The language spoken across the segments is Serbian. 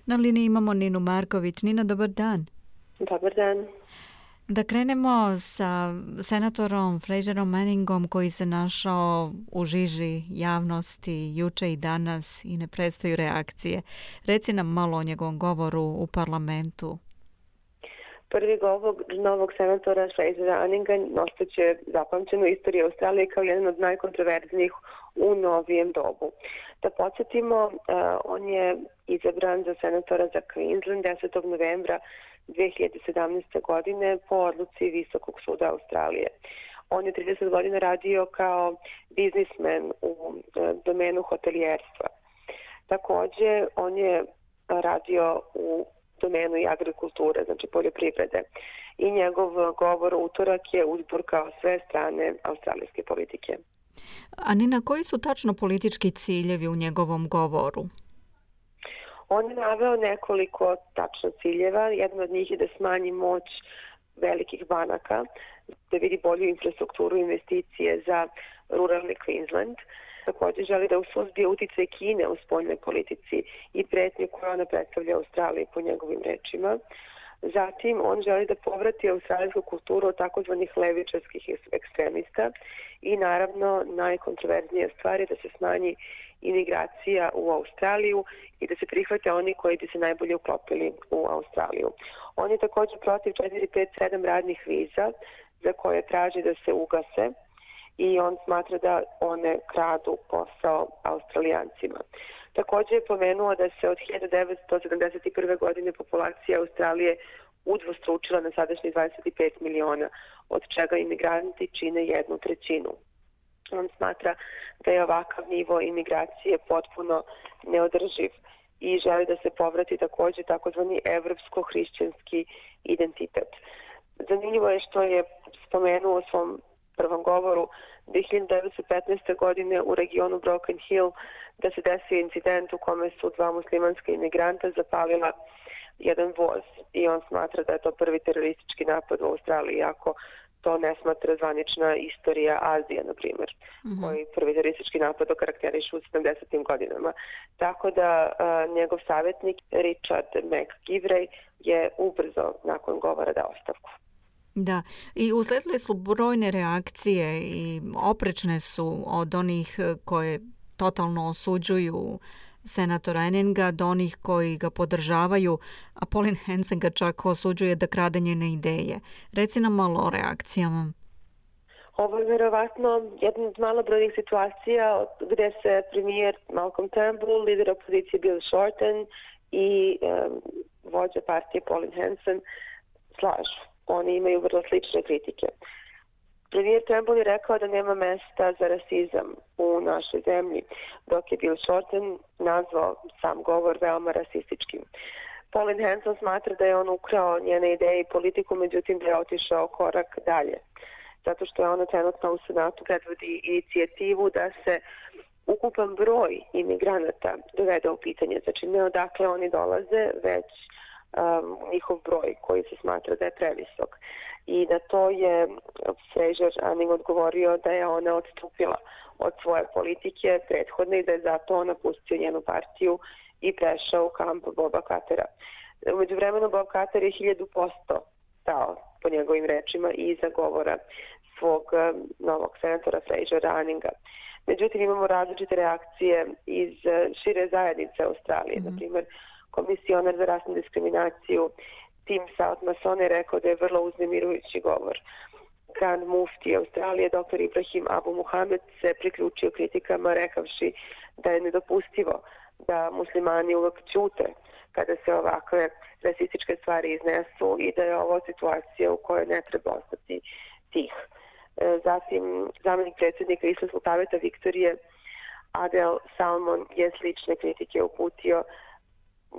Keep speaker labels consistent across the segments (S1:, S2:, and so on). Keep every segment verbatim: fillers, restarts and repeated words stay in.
S1: Na liniji imamo Ninu Marković. Nina, dobar dan.
S2: Dobar dan.
S1: Da krenemo sa senatorom Fraserom Manningom koji se našao u žiži javnosti juče i danas i ne prestaju reakcije. Reci nam malo o njegovom govoru u parlamentu.
S2: Prvi govor novog senatora Frasera Manninga ostaće zapamćen u istoriji Australije kao jedan od najkontroverznijih u novijem dobu. Da podsjetimo, on je izabran za senatora za Queensland desetog novembra dve hiljade sedamnaeste. godine po odluci Visokog suda Australije. On je trideset godina radio kao biznismen u domenu hotelijerstva. Također, on je radio u domenu i agrikulture, znači poljoprivrede. I njegov govor u utorak je uzburkao sve strane australijske politike.
S1: A Nina, koji su tačno politički ciljevi u njegovom govoru?
S2: On je naveo nekoliko tačno ciljeva. Jedan od njih je da smanji moć velikih banaka, da vidi bolju infrastrukturu investicije za ruralni Queensland. Također želi da suzbije uticaj Kine u spoljnoj politici i pretnju koju ona predstavlja Australiji po njegovim rečima. Zatim, on želi da povrati australijsku kulturu od takozvanih levičarskih ekstremista i naravno najkontroverznija stvar je da se smanji imigracija u Australiju i da se prihvate oni koji bi se najbolje uklopili u Australiju. On je također protiv četiri, pet, sedam radnih viza za koje traži da se ugase i on smatra da one kradu posao Australijancima. Također je pomenuo da se od hiljadu devetsto sedamdeset prve. godine populacija Australije udvostručila na sadašnjih dvadeset pet miliona, od čega imigranti čine jednu trećinu. On smatra da je ovakav nivo imigracije potpuno neodrživ i želi da se povrati također takozvani evropsko-hrišćanski identitet. Zanimljivo je što je spomenuo u svom prvom govoru da je hiljadu devetsto petnaeste. godine u regionu Broken Hill da se desio incident u kome su dva muslimanska imigranta zapalila jedan voz i on smatra da je to prvi teroristički napad u Australiji, ako to ne smatra zvanična istorija Azije, na primjer, mm-hmm. koji prvi teroristički napad okarakterišu u sedamdesetim godinama. Tako da a, njegov savjetnik Richard McGivray je ubrzo nakon govora dao ostavku.
S1: Da, i uslijedile su brojne reakcije i oprečne su od onih koje totalno osuđuju senatora Manninga do onih koji ga podržavaju, a Pauline Hanson ga čak osuđuje da krade njene ideje. Reci nam malo o reakcijama.
S2: Ovo je vjerovatno jedna od malobrojnih situacija gdje se premijer Malcolm Turnbull, lider opozicije Bill Shorten i um, vođa partije Pauline Hanson slažu. Oni imaju vrlo slične kritike. Premijer Turnbull je rekao da nema mesta za rasizam u našoj zemlji, dok je Bill Shorten nazvao sam govor veoma rasističkim. Pauline Hanson smatra da je on ukrao njene ideje i politiku, međutim da je otišao korak dalje. Zato što je ona trenutno u Senatu predvodi inicijativu da se ukupan broj imigranata dovede u pitanje. Znači ne odakle oni dolaze, već um, njihov broj koji se smatra da je previsok. I na to je Fraser Manning odgovorio da je ona odstupila od svoje politike prethodne i da je zato on napustio njenu partiju i prešao u kamp Boba Cartera. U međuvremenu Bob Carter je hiljadu posto stao po njegovim rečima i iza govora svog um, novog senatora Frasera Manninga. Međutim, imamo različite reakcije iz šire zajednice Australije. Mm-hmm. Na primjer, komisionar za rasnu diskriminaciju Tim South Mason je rekao da je vrlo uznemirujući govor. Grand Mufti Australije, doktor Ibrahim Abu Muhamed, se priključio kritikama rekavši da je nedopustivo da muslimani uvek ćute kada se ovakve rasističke stvari iznesu i da je ovo situacija u kojoj ne treba ostati tih. Zatim, zamjenik predsjednika Islamskog savjeta Viktorije Adel Salmon je slične kritike uputio,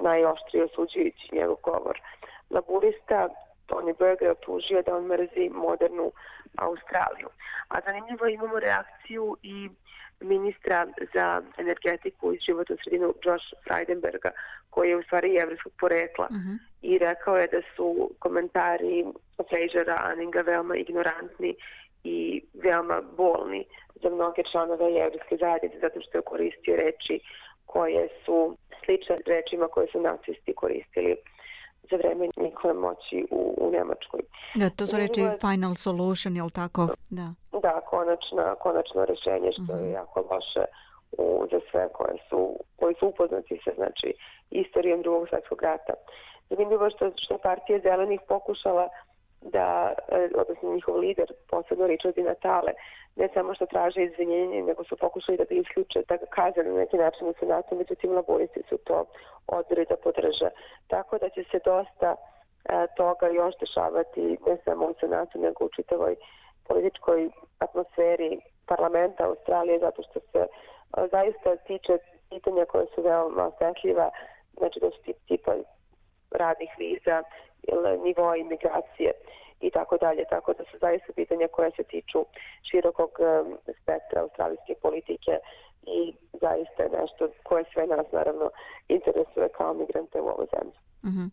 S2: najoštrije osuđujući njegov govor. Laburista Tony Burke je optužio da on mrzi modernu Australiju. A zanimljivo imamo reakciju i ministra za energetiku iz životnu sredinu Josh Frydenberga, koji je u stvari jevrijskog porekla. Uh-huh. I rekao je da su komentari Frasera Manninga veoma ignorantni i veoma bolni za mnoge članove jevrijske zajednice, zato što je koristio reči koje su slične rečima koje su nacisti koristili za vreme njihove moći u, u Nemačkoj.
S1: Da, to su reči final solution, je li tako? Da,
S2: da konačna, konačno rješenje, što uh-huh. je jako loše u, za sve koje su, koji su upoznati sa znači, istorijom drugog svjetskog rata. Zanimljivo je što, što partija zelenih pokušala da, odnosno njihov lider, posebno Richard Di Natale, ne samo što traže izvinjenje, nego su pokušali da ga isključe, da ga kaze na neki način u Senatu, međutim laboristi su to odbili da podrže. Tako da će se dosta e, toga još dešavati, ne samo u Senatu, nego u čitavoj političkoj atmosferi parlamenta Australije, zato što se e, zaista tiče pitanja koje su veoma osetljiva, znači da su tipa radnih viza ili nivoa imigracije i tako dalje, tako da su zaista pitanja koje se tiču širokog um, spektra australijske politike i zaista je nešto koje sve nas naravno interesuje kao migrante u ovoj zemlji.
S1: Mm-hmm.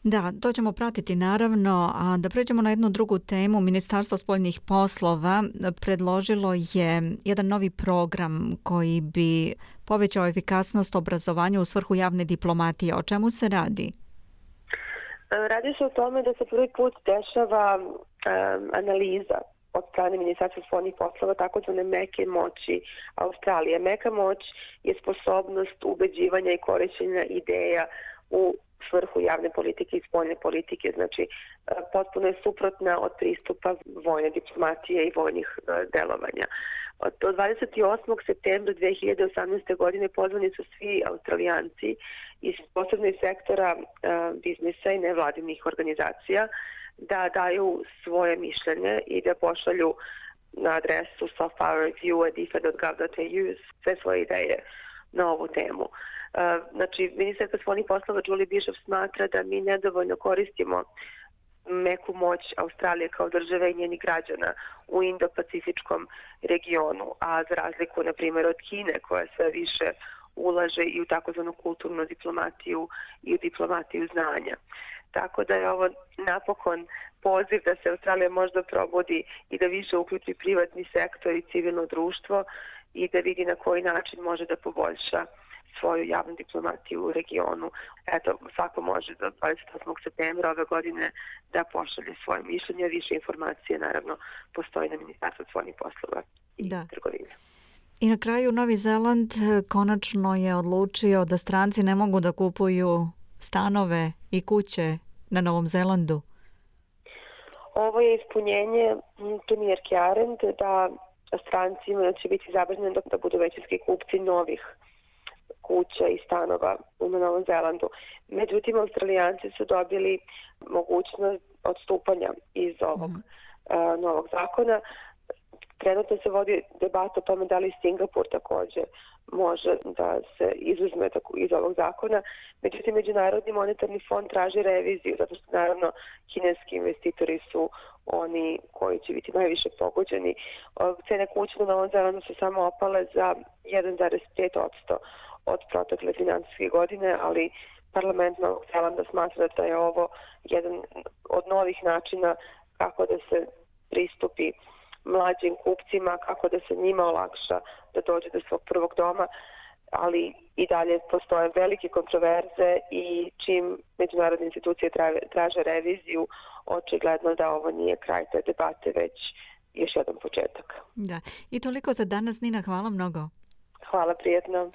S1: Da, to ćemo pratiti naravno, a da pređemo na jednu drugu temu. Ministarstvo spoljnih poslova predložilo je jedan novi program koji bi povećao efikasnost obrazovanja u svrhu javne diplomatije. O čemu se radi?
S2: Radi se o tome da se prvi put dešava um, analiza od strane Ministarstva spoljnih poslova takozvane meke moći Australije. Meka moć je sposobnost ubeđivanja i korišćenja ideja u svrhu javne politike i spoljne politike. Znači, potpuno je suprotna od pristupa vojne diplomatije i vojnih delovanja. Do dvadeset osmog septembra dve hiljade osamnaeste. godine pozvani su svi Australijanci iz posebnih sektora uh, biznisa i nevladinih organizacija da daju svoje mišljenje i da pošalju na adresu softpowerreview at d f a dot gov dot a u sve svoje ideje na ovu temu. Uh, znači, ministarka spoljnih poslova Julie Bishop smatra da mi nedovoljno koristimo meku moć Australije kao države i njenih građana u Indo-Pacifičkom regionu, a za razliku, na primjer, od Kine, koja sve više ulaže i u takozvanu kulturnu diplomatiju i u diplomatiju znanja. Tako da je ovo napokon poziv da se Australija možda probudi i da više uključi privatni sektor i civilno društvo i da vidi na koji način može da poboljša svoju javnu diplomatiju u regionu. Eto, svako može do dvadeset osmog septembra ove godine da pošalje svoje mišljenje. Više informacije, naravno, postoji na Ministarstvu spoljnih poslova i
S1: da.
S2: trgovine.
S1: I na kraju Novi Zeland konačno je odlučio da stranci ne mogu da kupuju stanove i kuće na Novom Zelandu.
S2: Ovo je ispunjenje premijerke Arendt da strancima će biti zabranjeno da budu većinski kupci novih kuća i stanova na Novom Zelandu. Međutim, Australijanci su dobili mogućnost odstupanja iz ovog mm. uh, novog zakona. Trenutno se vodi debata o tome da li Singapur također može da se izuzme iz ovog zakona. Međutim, Međunarodni monetarni fond traži reviziju, zato što naravno kineski investitori su oni koji će biti najviše pogođeni. Cene kuće na Novom Zelandu su samo opale za jedan zarez pet posto od protekle financijske godine, ali parlament Novog Zelanda smatra da je ovo jedan od novih načina kako da se pristupi mlađim kupcima, kako da se njima olakša da dođe do svog prvog doma, ali i dalje postoje velike kontroverze i čim međunarodne institucije traže reviziju, očigledno da ovo nije kraj te debate, već još jedan početak.
S1: Da. I toliko za danas, Nina, hvala mnogo.
S2: Hvala, prijetno.